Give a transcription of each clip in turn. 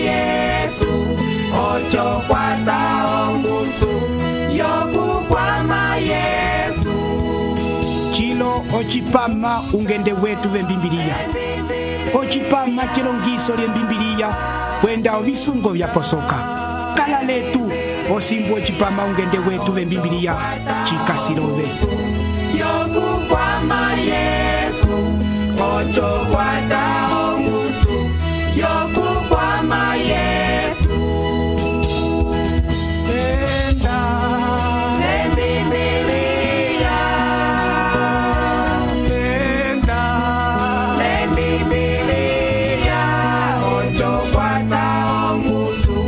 Yesu ocho kwata ongusu yokukwama Yesu chilo ochipama ungende wetu vembimbiliya ochipama chilongiso lyembimbiliya kwenda ovisungo vyaposoka kala letu osimbu ochipama ungende wetu vembimbiliya chikasilove yokukwama Yesu ocho kwata ongusu yokukwama Yesu enda lembibiliya enda lembibiliya ocho kwata ongusu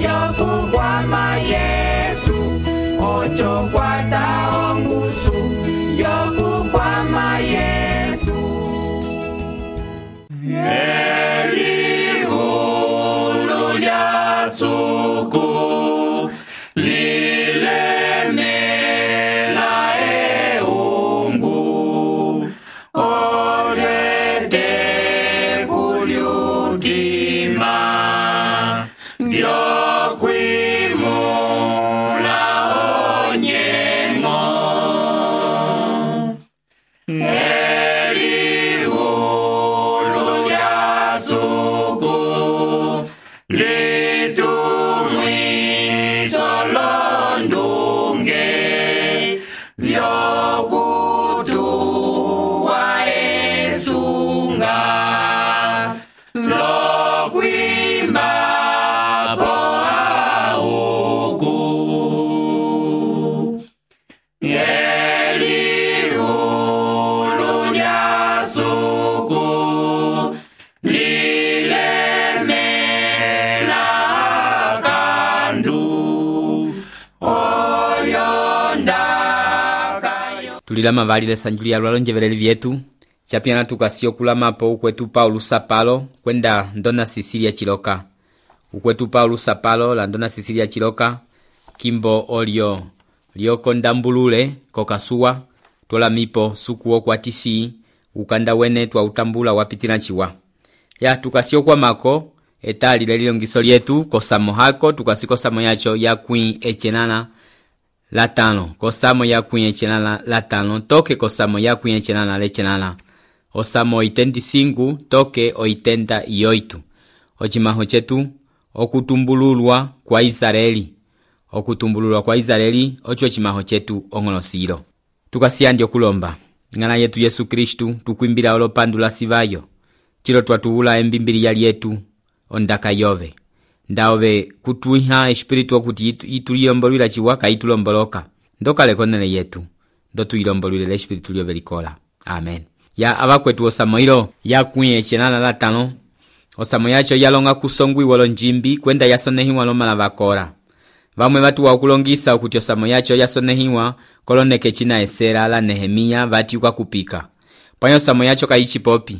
yokukwama Yesu ocho kwata ongusu yokukwama Yesu Elihulu lya suku lilemela eungu olete kulyutima lyokwimula onyengo Elihulu lya suku litumwiso londunge vyokutuwa esunga lokwimba po auku Elihulu lya suku lilemela kandu olyondakayo tulilama valile sanjuli ya lwalonjeveleli vyetu chapiana tukasio kulamapo ukwetu Paulo Sapalo kwenda ndona Sisilia Chiloka ukwetu Paulo Sapalo la ndona Sisilia Chiloka kimbo olio liokondambulule kokasuwa tola mipo sukuo kwa tisi ukanda wene twa utambula wapitila chiwa ya tukasio kwa mako etali lelilongiso lyetu kosamo hako tukasiko samo yacho ya kwin echenana latano kosamo ya kwin echenana latano toke kosamo ya kwin echenana lechenana osamo 85 toke 88 ochimaho chetu okutumbululwa kwa Israeli okutumbululwa kwa Israeli ocho chimaho chetu ongolosilo tukasiandi okulomba ngana yetu Yesu Kristu tukwimbila olopandula sivayo chilo twatuula embimbiliya lyetu ondaka yove ndaove kutuiha espiritu okuti ituliyombolwila chiwaka itulomboloka ndokale konele yetu ndotuyilombolwile espiritu lyove likola amen ya abakwetu osamoilo ya kwin echenana latano osamo yacho yalonga kusongwiwa lonjimbi kwenda yasonehiwa lomala vakora vamwe vatu wakulongisa okuti osamo yacho yasonehiwa koloneke china esera la Nehemia vatiuka kupika panyo osamo yacho kayichipopi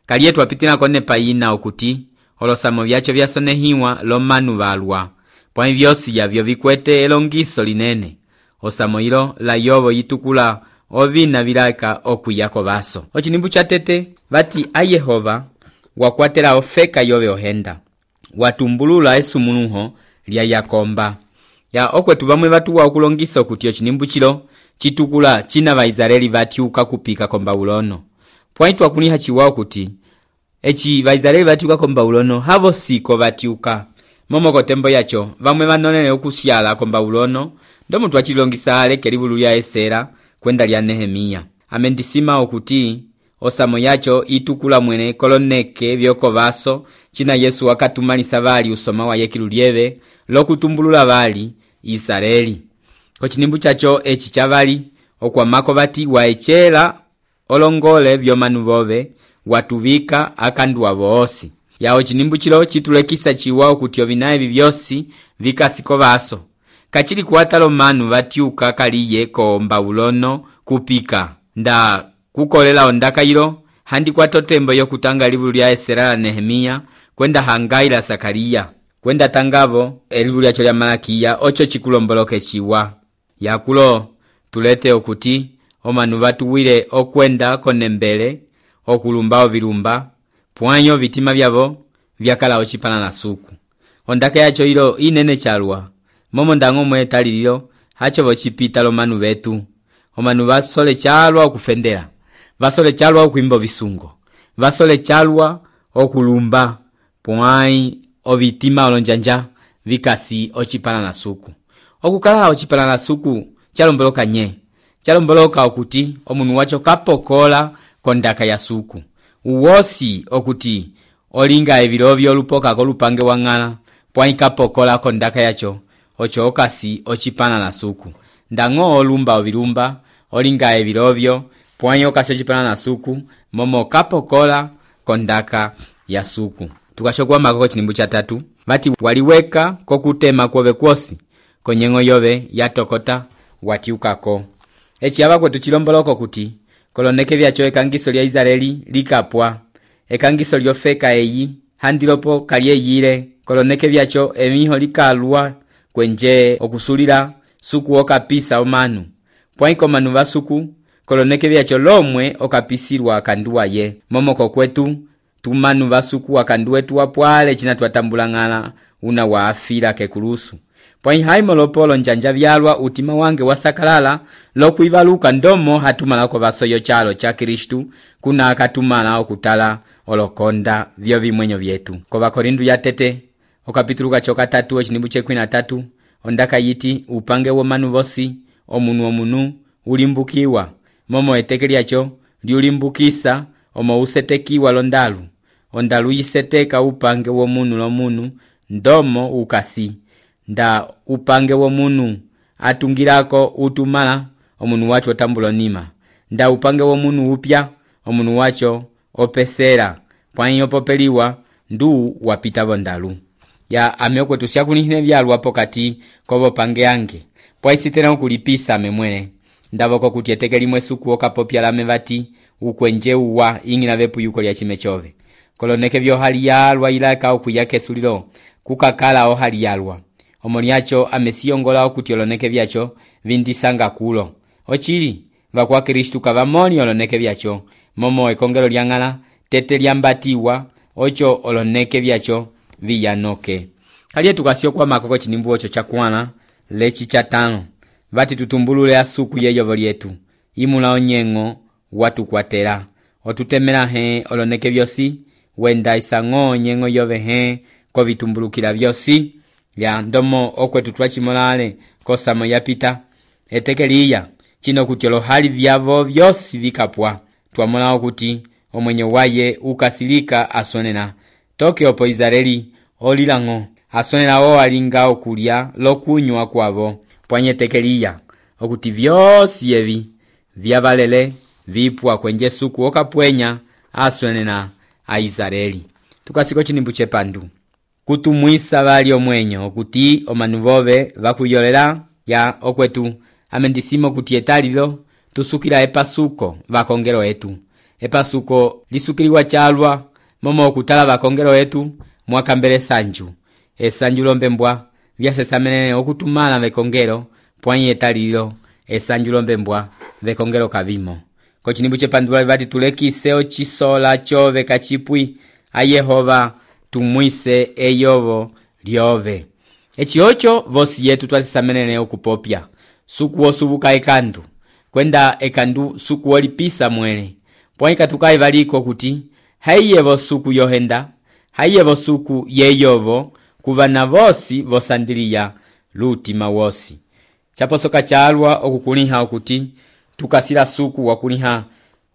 kalietu apitila kone payina okuti olosamo vyacho vyasonehiwa lomanu valwa pwanyi vyosi yavyo vikwete elongiso linene osamo ilo la yovo yitukula ovina vilaka okuyako vaso ochinimbu cha tete vati a Yehova wakwatela ofeka yove ohenda watumbulula esumunuho lya Yakomba ya okwetu vamwe vatu wakulongisa okuti ochinimbu chilo chitukula china Vaisraeli vatiuka kupika kombaulono pwanyi twakuniha chiwao kuti echi Vaisraeli vatiuka kombaulono havo siko vatiuka momoko tembo yacho vamwe vanonene okusyala kombaulono ndomu twachilongisa aleke livulu lya esera kwenda lya Nehemia amendisima okuti osamo yacho itukula mwene koloneke vyoko vaso china Yesu wakatumalisa vali usoma wa yekilu lyeve lokutumbulula vali Israeli kochinimbu chacho echi chavali okwamako vati waechela olongole vyomanu vove watuvika akanduwa voosi yao chinimbu chilo chitulekisa chiwa okuti ovinaye vivyosi vikasiko vaso kachili kuwatalo manu vatiuka kaliye ko mbaulono kupika nda kukolela ondaka ilo handi kwa totembo yokutanga livulu lya Esera la Nehemia kwenda Hangai la Sakaria kwenda tangavo elivulu lyacho lya Malakia ocho chikulomboloke chiwa yakulo tulete okuti omanu vatuwile okwenda konembele okulumba ovilumba pwanyo vitima vyavo vyakala ochipana na suku ondaka yacho ilo inene chalwa momo ndango mwe talililo hacho vocipita lomanu vetu omanu vasole chalwa okufendela vasole chalwa okuimba visungo vasole chalwa okulumba pwai ovitima olonjanja vikasi ocipala na suku okukala ocipala na suku chalomboloka nye chalomboloka okuti omunu wacho kapokola kondaka ya suku uwosi okuti olinga evilovyo lupoka kolupange wang'ala pwai kapokola kondaka yacho ocho okasi ocipana na suku ndango olumba ovilumba olinga evilovyo pwai okasi ocipana na suku momo kapokola kondaka ya suku. Tukashokwa makoko chinimbu cha 3 vati waliweka kokutema kwove kwosi konyengo yove yatokota watiukako echi yava kwetu chilomboloko kuti koloneke vyacho ekangiso lya Israeli likapwa ekangiso lyofeka eyi handilopo kalyeyile koloneke vyacho emiho likalwa kwenje okusulila suku okapisa omanu pwaiko manu vasuku koloneke vyacho lomwe okapisilwa kanduwa ye momoko kwetu tumanu vasuku akanduwetu wapwale china twatambulang'ala una waafila kekulusu pwai haimo lopolo njanja vyalwa utima wange wasakalala lokuivaluka ndomo hatumalako vasoyo chalo cha Kristu kuna akatumala okutala olokonda vyo vimwenyo vyetu. Kova Korindu ya tete okapituluka choka 3 echinimbu chekwina 3 ondaka yiti upange womanu vosi omunu ulimbukiwa momo eteke lyacho liulimbukisa omo usetekiwa londalu ondalu yiseteka upange womunu lomunu ndomo ukasi nda upange womunu atungirako utumala omunu wacho tambulo nima nda upange womunu upya omunu wacho opesera pwai opopeliwa ndu wapita vondalu ya ameokwe tusyakulihine vyalwa pokati kobo pange yange pwai sitena ukulipisa memwene ndavoko kutieteke limwe suku okapopya lame vati ukwenje uwa ingina vepu yuko lya chime chove koloneke vyo hali yalwa ilaka okuyake sulilo kukakala o hali yalwa omoni yacho amesiyongola okuti oloneke vyacho vindisanga kulo ochili vakwa Kristu kavamoni oloneke vyacho momo ekongelo lyang'ala tete lyambatiwa ocho oloneke vyacho viyanoke kaliye tukasio kwa makoko chinimbu ocho chakwana lechi cha 5 vati tutumbulule asuku yeyovo lyetu imula onyengo watu kwatela otutemela he oloneke vyosi wenda isango nyengo yove he ko vitumbulukila vyosi ya ndomo okwetu twachimolale kosamo yapita etekeliya chino kuti hali vyavo vyosi vikapwa twamola okuti omwenye waye ukasilika asonena toke opo Israeli olilango asonena o alinga okulya lokunywa kwavo pwanye tekeliya okuti vyosi evi vyabalele vipwa kwenje suku okapwenya asonena a Israeli. Tukasiko chinimbu chepandu kutumwisa vali omwenyo okuti omanu vove vakuyolela ya okwetu amendisimo kuti etalilo tusukila epasuko vakongelo etu epasuko lisukiliwa chalwa momo okutala vakongelo etu mwakambele sanju esanju lombembwa vyasesamenene okutumala vekongelo pwanye etalilo esanju lombembwa vekongelo kavimo kochinimbu chepandula vati tulekise ochisola chove kachipwi a Yehova tumwise eyovo lyove echiocho vosi yetu twasesamenene okupopya suku osubuka ekandu kwenda ekandu suku olipisa mwele pwaika tukai valiko kuti haiyevo suku yohenda haiyevo suku yeyovo kuvana vosi vosandiliya lutima wosi chaposoka chalwa okukuliha okuti tukasila suku wakuliha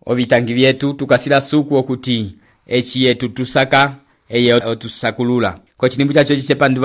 ovitangi vyetu tukasila suku okuti echi yetu tusaka eye otusakulula kochinimbu chacho chichepandu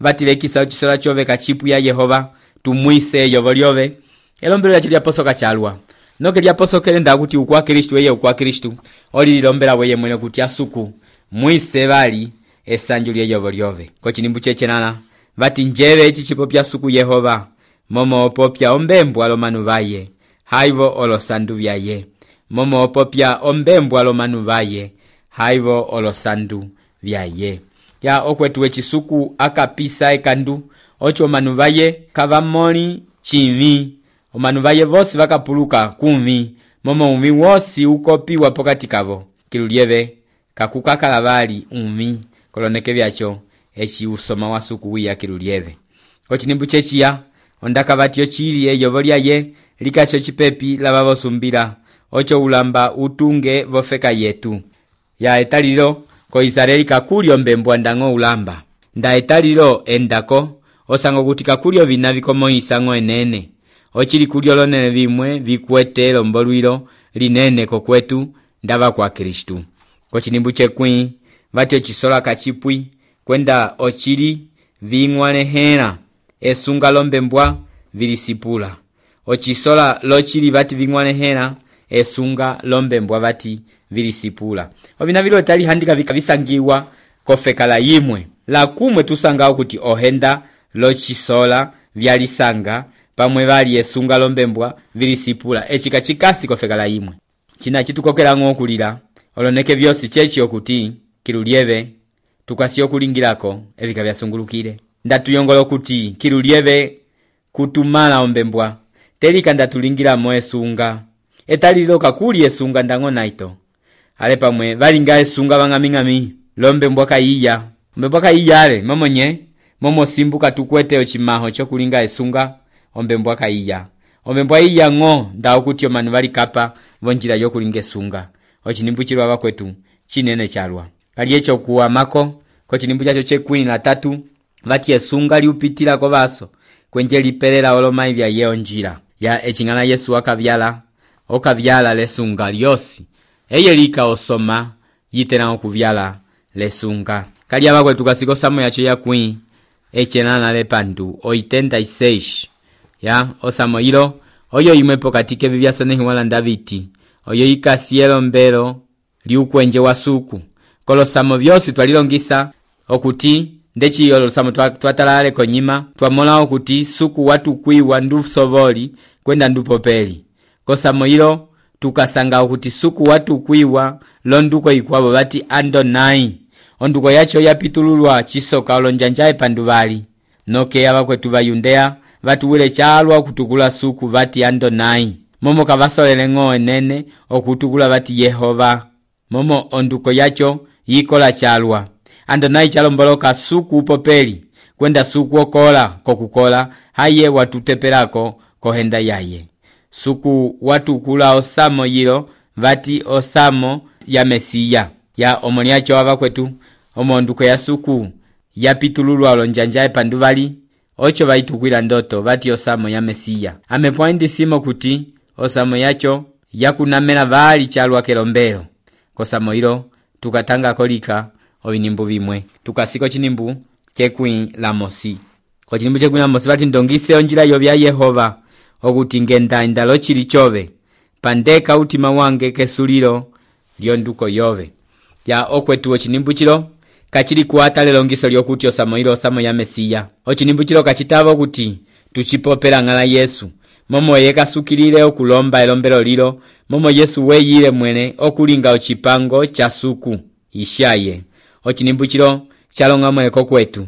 vatilekisa ochisola chove kachipu ya Yehova tumwise eyovo lyove elombelo lyacho lyaposoka chalwa noke lyaposokele nda kuti ukwa Kristu eye ukwa Kristu olilombela weye mwene kuti asuku mwise vali esanju lyeyovo lyove kochinimbu chechenana vati njeve echi chipopya suku Yehova momo opopya ombembwa lomanu vaye haivo olosandu vyaye momo opopya ombembwa lomanu vaye haivo olosandu vyaye ya okwetu echisuku akapisa ekandu ocho manu vaye kavamoli chivi omanu vaye vosi vakapuluka kumvi momo umvi wosi ukopiwa pokati kavo kilulieve kakukakala vali umvi koloneke vyacho eci usoma wa suku wiya kilulieve. Ochinimbu chechiya ondaka vati ochili eyovo lyaye likasi ocipepi lava vosumbila ocho ulamba utunge vofeka yetu. Ya etalilo ko Israeli kakuli ombembwa ndango ulamba. Nda etalilo endako osango kuti kakuli ovina vikomo isango enene. Ochili kulio lonene vimwe vikuete lombolwilo linene kokwetu ndava kwa Kristu. Kochinimbu chekwi vati ochisola kachipwi kwenda ochili ving'walehela esunga lombembwa vilisipula. Ochisola lochili vati ving'walehela esunga lombembwa vati vilisipula. Ovina vilo etali handika vikavisangiwa kofekala yimwe. La kumwe tusangao kuti ohenda lochisola vyalisanga pamwe vali esunga lombembwa vilisipula. Echika chikasi kofekala yimwe. China chitukokela ng'okulila oloneke vyosi chechi okuti kilulieve tukasi okulingilako evika vyasungulukile. Ndatuyongolo kuti kilulieve kutumala ombembwa telika ndatulingila mo esunga etalilo kakuli esunga ndango naito ale pamwe valinga esunga vang'aming'ami lombembwa kaiya ombembwa kaiya ale momonye momo simbuka tukwete ochimaho chokulinga esunga ombembwa kaiya ombembwa iya ng'o ndao kuti omanu valikapa vonjila yokulinga esunga. Ochinimbu chilwa vakwetu chinene chalwa kali echo kuwa mako kochinimbu chacho chekwini na tatu vati esunga liupitila ko vaso kwenje lipelela olomai vya yeo njila ya echingana Yesu okavyala lesunga lyosi eye lika osoma yitena okuvyala lesunga kali abakwetu kasiko samo yacho yakwi echenana lepandu 86 ya osamo hilo oyo imwepo katike vivyasonehi wala ndaviti oyo ikasielo mbelo liukwenje wa suku kolosamo vyosi twalilongisa okuti ndechi olosamo twatalale konyima twamola okuti suku watu kuiwa ndu sovoli kwenda ndupopeli kosamo hilo tukasanga okuti suku watu kuiwa londuko ikwabo vati Andonai onduko yacho yapitululwa chisoka olonjanja epanduvali noke abakwetu va Yudea vatuwile chalwa okutukula suku vati Andonai momo kavasolele ng'o enene okutukula vati Yehova momo onduko yacho yikola chalwa Andonai chalomboloka suku upopeli kwenda suku okola kokukola haye watutepelako kohenda yaye suku watukula osamo yilo vati osamo ya Mesiya ya omoniacho abakwetu omonduko ya suku yapitululwa olonjanja epanduvali ocho vaitukwila ndoto vati osamo ya Mesiya amepoindi simo kuti osamo yacho yakunamela vali chalwa kelombelo kosamo hilo tukatanga kolika ovinimbu vimwe tukasiko chinimbu chekwi la mosi kochinimbu chekwi la mosi vati ndongise onjila yovya Yehova okuti ngenda indalo chili chove pandeka utima wange kesulilo lyonduko yove ya okwetu ochinimbu chilo kachili kuata lelongiso lyokuti osamo hilo osamo ya Mesiya ochinimbu chilo kachitavo kuti tuchipopela ng'ala Yesu momo yeka sukilile okulomba elombelo lilo momo Yesu weyile mwene okulinga ochipango cha suku ishaye ochinimbu chilo chalonga mweleko kwetu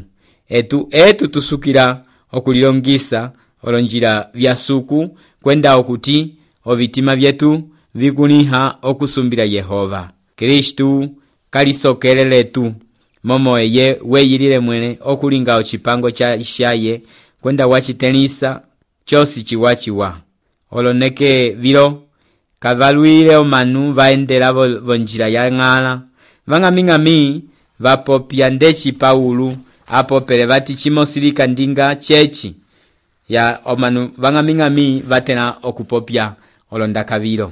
etu tusukila okulilongisa olonjila vya suku kwenda okuti ovitima vyetu vikuniha okusumbila Yehova Kristu kalisokeleletu momo eye weyilile mwene okulinga ochipango cha ishaye kwenda wachitenisa chosi chiwachiwa oloneke vilo kavalwile omanu vaendela vonjila ya ng'ala vang'aming'ami vapopya ndechi Paulu apopele vati chimosilika ndinga chechi ya omanu vang'aming'ami vatena okupopya olondaka vilo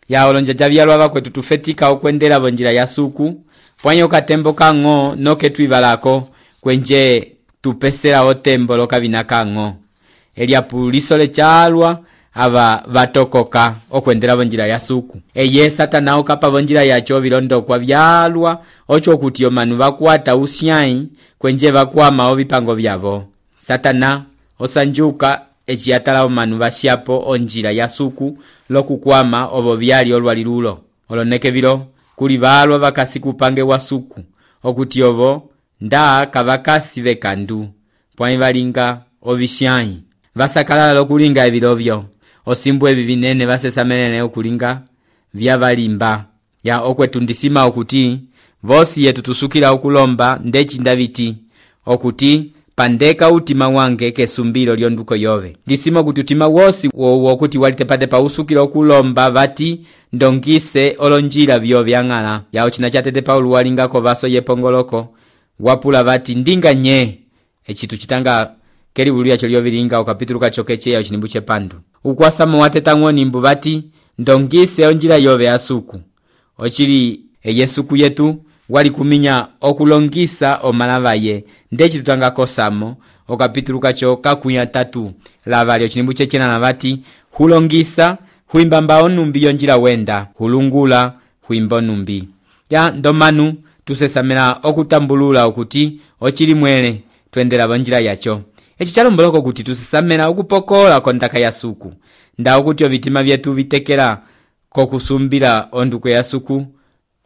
ya olonjaja vyalwa vakwetu tufetika okwendela vonjila ya suku pwanyo katembo kang'o noke twivalako kwenje tupesela otembo lokavina kang'o eliapulisole chalwa ava vatokoka okwendela vonjila ya suku eye Satana okapa vonjila yacho vilondokwa vyalwa ocho kuti omanu vakwata usyai kwenje vakwama ovipango vyavo Satana osanjuka echiyatala omanu vashiapo onjila ya suku lokukwama ovo vyali olwalilulo oloneke vilo kuli valwa vakasi kupange wa suku okuti ovo nda kavakasi vekandu pwani valinga ovishyai vasakalala lokulinga evilovyo osimbu evi vinene vasesamelene okulinga vyavalimba ya okwetundisima okuti vosi yetu tusukila okulomba ndechi ndaviti okuti pandeka utima wange kesumbilo lyonduko yove. Ndisimo kuti utima wosi wokuti walitepatepa usukila okulomba vati ndongise olonjila vyo vyang'ala. Yao china chatete Paulo walingako vaso yepongoloko wapula vati ndinga nye echitu chitanga kelivulu yacho lyovilinga okapitulu kachokeche yao chinimbu chepandu. Ukwasamo watetang'o nimbu vati ndongise onjila yove asuku. Ochili yesuku yetu wali kuminya okulongisa omalavaye ndechi tutanga kosamo okapitulu kacho kakuya 3 lavalyo chinimbu chechena na vati hulongisa huimbamba onumbi yonjila wenda hulungula huimba onumbi. Ya ndomanu tusesamela okutambulula okuti ochili mwele twendela bonjila yacho. Echi chalomboloko kuti tusesamela okupokola kondaka ya suku. Nda okuti ovitima vyetu vitekela kokusumbila onduko ya suku.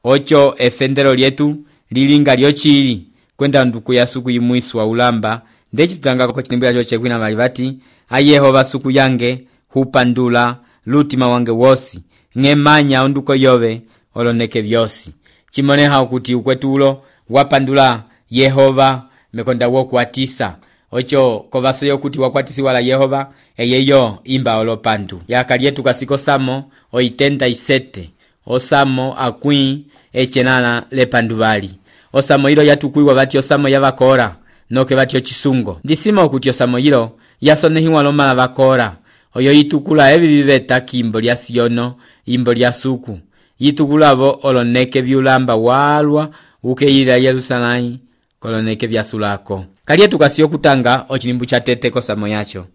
Ocho efendelo lyetu lilinga lyochili kwenda nduku ya suku yimuiswa ulamba. Ndechi tutanga kwa chinimbu yacho chekwina malivati ayehova suku yange hupandula lutima wange wosi ng'emanya onduko yove oloneke vyosi. Chimoneha ukuti ukwetulo wapandula Yehova mekonda wokuatisa. Ocho kovaso yokuti wakwatisi wala Yehova eyeyo imba olopandu. Yakalietu kasiko samo oitenda isete. Osamo akwi echenana lepandu vali. Osamo hilo yatukuiwa vati osamo yavakora noke vati ochisungo. Ndisima ukuti osamo hilo yasonehiwa lomala vakora. Oyo yitukula evi viveta kimbo lya Siono imbo lya suku. Yitukulavo oloneke vyulamba walwa ukeila Yerusalai koloneke vyasulako. Kalietu kasio kutanga ochinimbu cha tete kosamo yacho.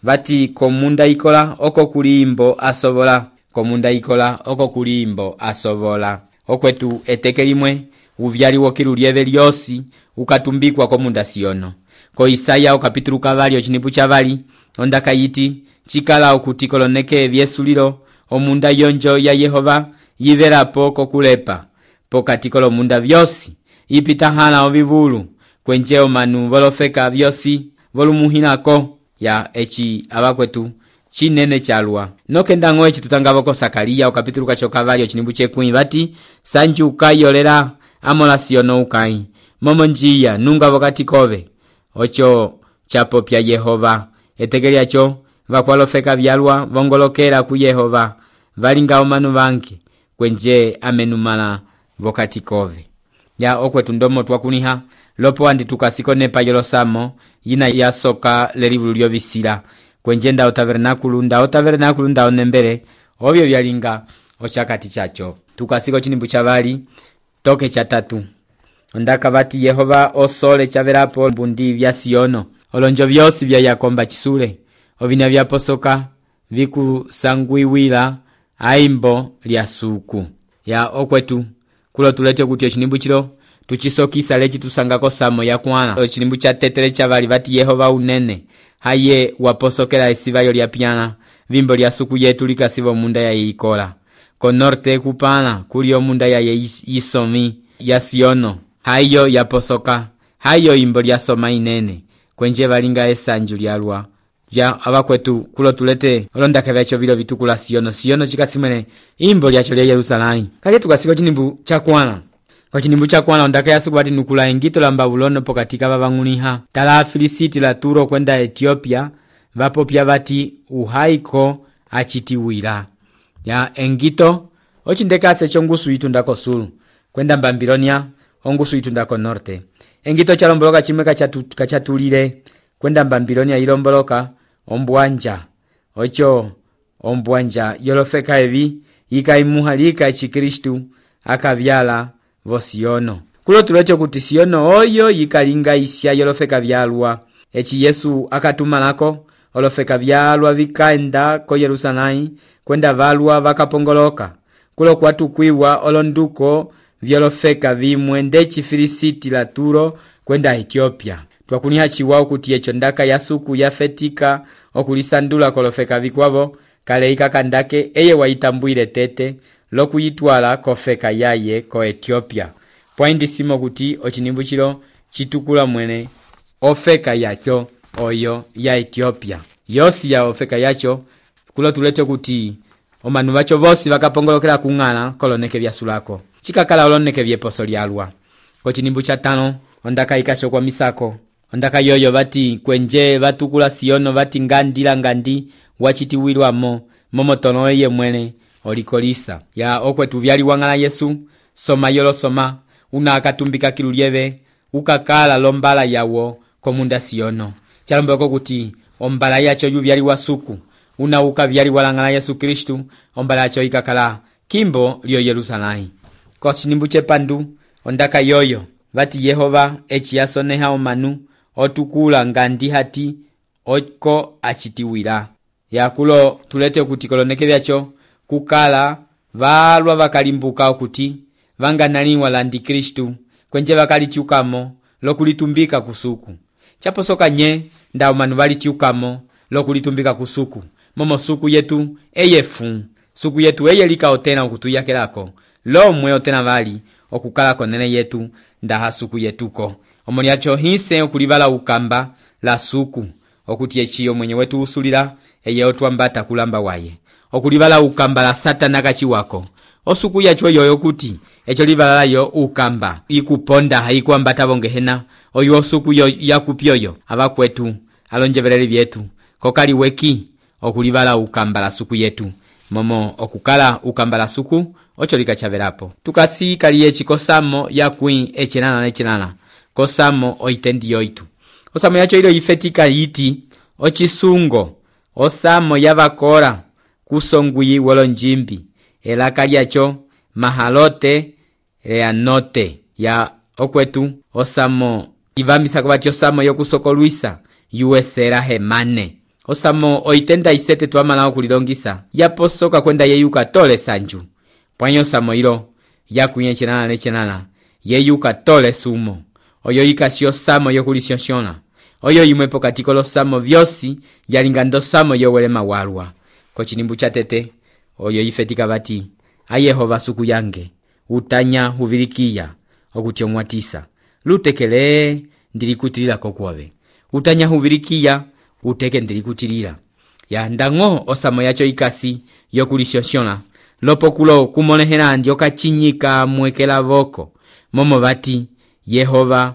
Vati komunda ikola oko kulimbo asovola. Komunda ikola oko kulimbo asovola. Okwetu eteke limwe uvyali wokilu lyeve lyosi ukatumbikwa komunda Siono. Ko Isaya okapitulu kavali ochinimbu cha vali ondaka yiti chikala okuti koloneke vyesulilo omunda yonjo ya Yehova yivelapo kokulepa pokati kolomunda vyosi ipita hala ovivulu kwenje omanu volofeka vyosi volumuhinako. Ya echi abakwetu chinene chalwa nokenda ng'o echi tutangavo ko Sakaria okapitulu kacho kavali ochinimbu chekwini vati sanju ukayolela amola Siono ukai momo njia nunga vokati kove. Ocho chapo pya Yehova etegeli yacho vakwalofeka vyalwa vongolokela ku Yehova valinga omanu vanke kwenje amenumala vokati kove. Ya okwetu ndomo twakuniha lopo andi tukasiko nepa yolosamo yina yasoka lelivulu lyovisila kwenje nda otavernakulu nda onembele ovyo vyalinga ochakati chacho. Tukasiko chinimbu chavali toke cha 3 ondaka vati Yehova osole chavelapo mbundi vya Siono olonjo vyosi vya yakomba chisule ovina vyaposoka vikusangwiwila aimbo lya suku. Ya okwetu kulo tulete kuti ochinimbu chilo tuchisokisa lechi tusangako samo ya kwana. Ochinimbu cha tetele chavali vati Yehova unene haye waposokela esivayo lya piana vimbo lya suku yetu likasivo munda ya ikola. Ko norte kupana kuli omunda ya isomi ya Siono hayo yaposoka hayo imbo lya soma inene kwenje valinga esanju lyalwa. Ya abakwetu kulo tulete olondaka vyacho vilo vitukula Siono chikasimene imbo lyacho lya Yerusalai. Kali tukasiko chinimbu chakwana. Kwa chinimbu chakwana ondaka yasuku vati nukula engito la Mbabulono pokatika vavang'uniha tala Filisiti la Turo kwenda Ethiopia vapopya vati uhaiko achitiwila. Ya engito ochindekase chongusu itundako sulu kwenda Babilonia ongusu itundako norte. Engito chalomboloka chimwe kachatulile kwenda Babilonia ilomboloka ombwanja. Ocho ombwanja yolofeka evi ikaimuha lika chikristu akavyala vo Siono. Kulo tulecho kuti Siono oyo yikalinga isya yolofeka vyalwa. Echi Yesu akatumanako olofeka vyalwa vikaenda ko Yerusalai kwenda valwa vakapongoloka. Kulo kwatukwiwa olonduko vyolofeka vimwe ndechi Filisiti la Turo kwenda Ethiopia. Twakuniha chiwao kuti echo ndaka yasuku yafetika okulisandula kolofeka vikwavo kaleika kandake eye waitambuile tete lokuyitwala kofeka yaye ko Ethiopia. Pwaindi simo kuti ochinimbu chilo chitukula mwene ofeka yacho oyo ya Ethiopia. Yosi ya ofeka yacho kulo tulete kuti omanu vacho vosi vakapongolokela kung'ala koloneke vyasulako. Chikakala oloneke vyeposo lyalwa. Ko chinimbu cha 5 ondaka ikasho kwa misako ondaka yoyo bati kwenje batukula siono bati ngandi wachitiwilwamo momotono eye mwene olikolisa ya okwetu vyali wangala Yesu soma yolo soma una akatumbika kilulieve ukakala lombala yawo komunda siono chalombeko kuti ombala yacho yu vyali wasuku una uka vyali walangala Yesu Kristu ombala yacho ikakala kimbo lyo Yerusalai kochinimbu chepandu ondaka yoyo bati Yehova echiyasoneha omanu otukula ngandi hati oko achitiwila yakulo tulete kuti koloneke byacho kukala valwa bakalimbuka okuti vanganaliwa landi Kristu kwenje bakalityukamo lokulitumbika kusuku chaposoka nye ndao manu valityukamo lokulitumbika kusuku momo suku yetu eyefu suku yetu eyelika otena okutuyakelako lomwe otena vali okukala konene yetu ndaha suku yetuko omoliacho hise okulivala ukamba la suku okuti echiyo mwenye wetu usulira eye otwambata kulamba waye okulivala ukamba la Satana kachiwako osuku yacho yoyo kuti echo livala yo ukamba ikuponda haikuambata bongehena oyo osuku yo yakupyoyo abakwetu alonjevereri byetu kokali weki okulivala ukamba la suku yetu momo okukala ukamba la suku ocho likachaverapo tukasi kali echikosamo yakwi echenana kosamo oitendi yoitu osamo yacho ilo ifetika yiti ochisungo osamo yavakora kusongwi wolo njimbi elaka lyacho mahalote leanote ya okwetu osamo ivamisa kubati osamo yokusokolwisa yuesera hemane osamo oitenda isete twamala okulilongisa yaposoka kwenda yeyuka tole sanju pwanyo osamo ilo yakuyenchenana nechenana yeyuka tole sumo oyo ikasi osamo yokulisyonsyona oyo yimwe pokati kolosamo vyosi yalingando samo yowelema walwa kochinimbu cha tete oyo ifetika bati ayehova suku yange utanya huvirikia okutyomwatisa lutekele ndilikutilila kokwobe utanya huvirikia uteke ndilikutilila ya ndango osamo yacho ikasi yokulisyonsyona lopokulo kumonehela ndioka chinyika mwekela voko momo bati Yehova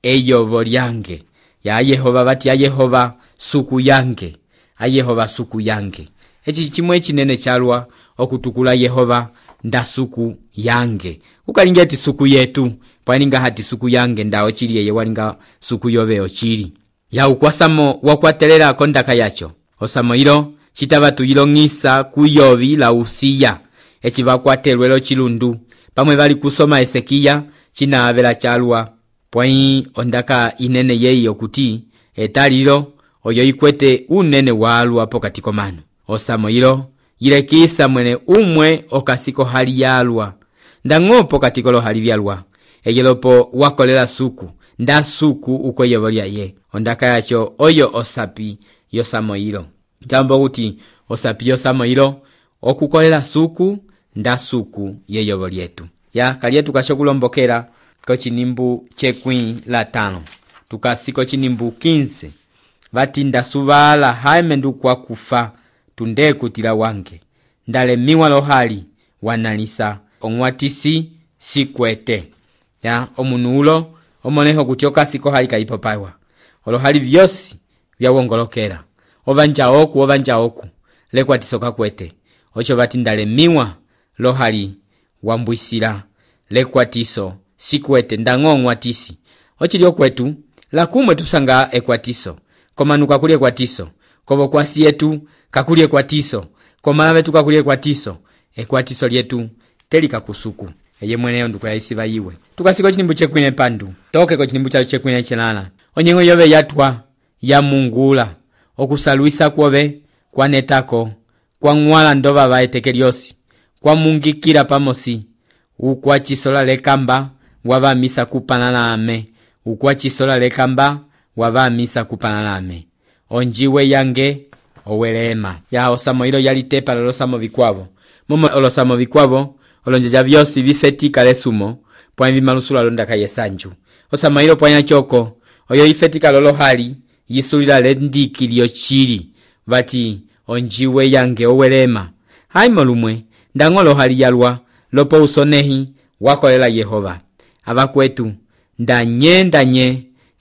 eyovo lyange ya Yehova bati ayehova suku yange ayehova suku yange echi chimwe chinene chalwa okutukula Yehova nda suku yange ukalingeti suku yetu pwaninga hati suku yange ndao chili yeye walinga suku yoveo chili ya ukwasamo wakwatelera kondaka yacho osamo ilo chitabatu ilongisa kuyovi la usiya echi vakwatelwelo chilundu pamwe bali kusoma Esekiya chinavela chalwa pwai ondaka inene yeyi okuti etalilo oyo ikwete unene walwa pokati komano osamo ilo yilekisa mwene umwe okasiko hali yalwa ndango pokati kolo hali vyalwa eyelopo wakolela suku nda suku ukweyevo lyaye ondaka yacho oyo osapi yosamo ilo jambo kuti osapi yosamo ilo okukolela suku nda suku yeyovo lyetu ya kalietu kashokulombokera kochinimbu chekwi la 5 tukasiko chinimbu 15 vati ndasuvala haime ndukwa kufa tunde kutila wange ndalemiwa lohali wanalisa onwatisi sikwete ya omunulo omoneho kutioka siko hali kaipopaiwa olohali vyosi vyawongolokera ovanja oku lekwatisoka kwete ocho vati ndalemiwa lohali wambwisila lekwatiso sikwete ndango watisi ochili okwetu lakumwe tusanga ekwatiso komanuka kuli ekwatiso kobo kwasi yetu kakuli ekwatiso komalabe tukakuli ekwatiso lyetu telika kusuku eye mweneyo ndukuyayisiva iwe tukasiko chinimbu chekwine pandu toke ko chinimbu cha chekwine chenana onyengo yove yatwa ya mungula okusalwisa kwobe kwanetako kwa ngwala ndova vaetekeliosi kwa mungikira pamosi ukwa chisola lekamba wava misa kupanana ame ukwa chisola lekamba wava misa kupanana ame onjiwe yange owelema ya osamo ilo yalitepa losamo vikwavo momo olosamo vikwavo olonjeja vyosi vifetika lesumo pwa vimalusula londaka yesanju osamo ilo pwa nyachoko oyo ifetika lolohali yisulila lendiki lyochili vati onjiwe yange owelema haimo lumwe ndango lohali yalwa lopo usonehi wakolela Yehova abakwetu ndanye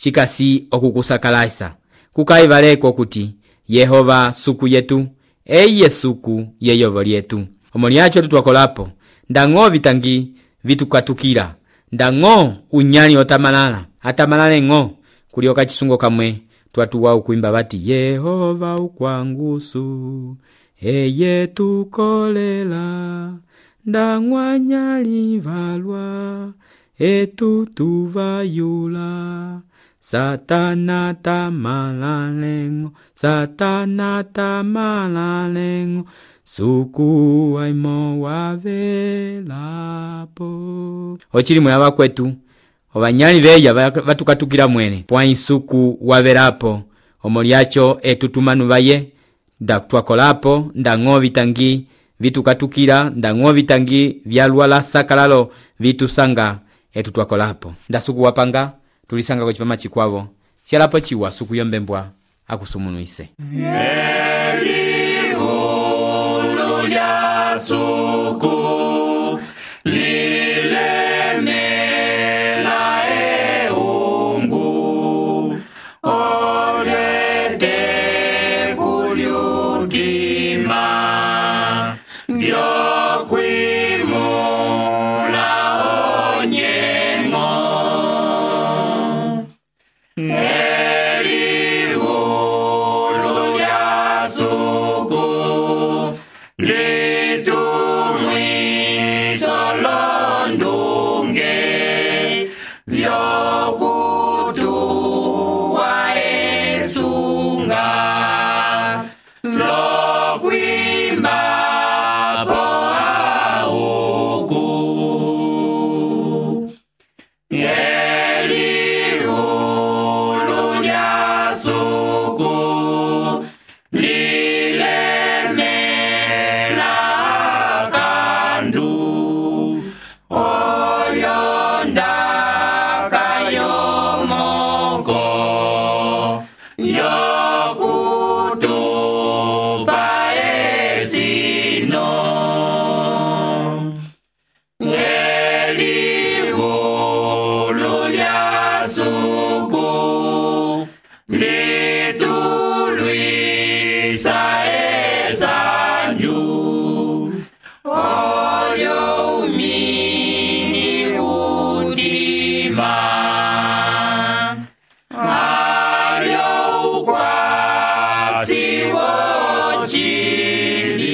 cikasi okukusakalasa kukayivaleko kuti Yehova suku yetu eye suku yeyovo lyetu. Omolyacho tutwakolapo ndang'o vitangi vitukatukila, ndang'o unyali otamalala atamalale ng'o kulioka chisungo kamwe twatuwa ukuimba bati Yehova ukwangusu eye tukolela ndang'wanyali valwa etutuvayula Satana tamalalengo, Satana tamalalengo, suku aimo wavelapo. Ochili mwaba kwetu, obanyali beya batukatukila mwene, pwa suku wavelapo, omolyacho etutumanu baye, twakolapo, ndang'o vitangi vitukatukila, ndang'o vitangi vyalwala sakalalo vitusanga etutwakolapo. Ndasuku wapanga tulisanga kwa chipama chikwavo chialapo chiwa suku yombembwa akusumunuise. Elihulu lya suku lilemela eungu olete kulyutima byokwimula onyengo. Elihulu lya suku litumwiso londunge vyokutuwa esunga lokwimba po auku. Elihulu lya suku lilemela kandu olyondaka yomoko yokutupa esino. Elihulu lya suku litulwisa esanju olyo umini udima alyo ukwasi wochili.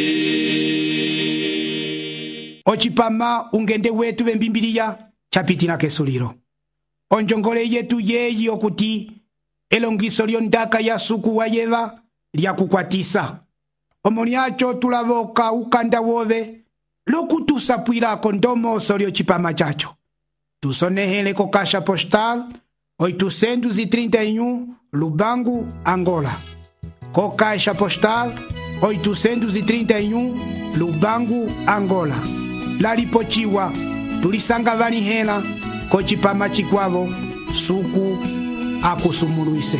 Ochipama ungende wetu bembimbiliya chapitina kesuliro. Onjongole yetu yeyi okuti elongiso lyondaka ya suku wa yeva lya kukwatisa. Omolyacho tulavoka ukanda wove lokutusapwilako ndomoso lyochipama chacho. Tusonehele ko Caixa Postal 831 Lubangu, Angola. Ko Caixa Postal 831 Lubangu, Angola. Lalipochiwa tulisanga vanihela ko chipama chikwavo suku akusumuluise.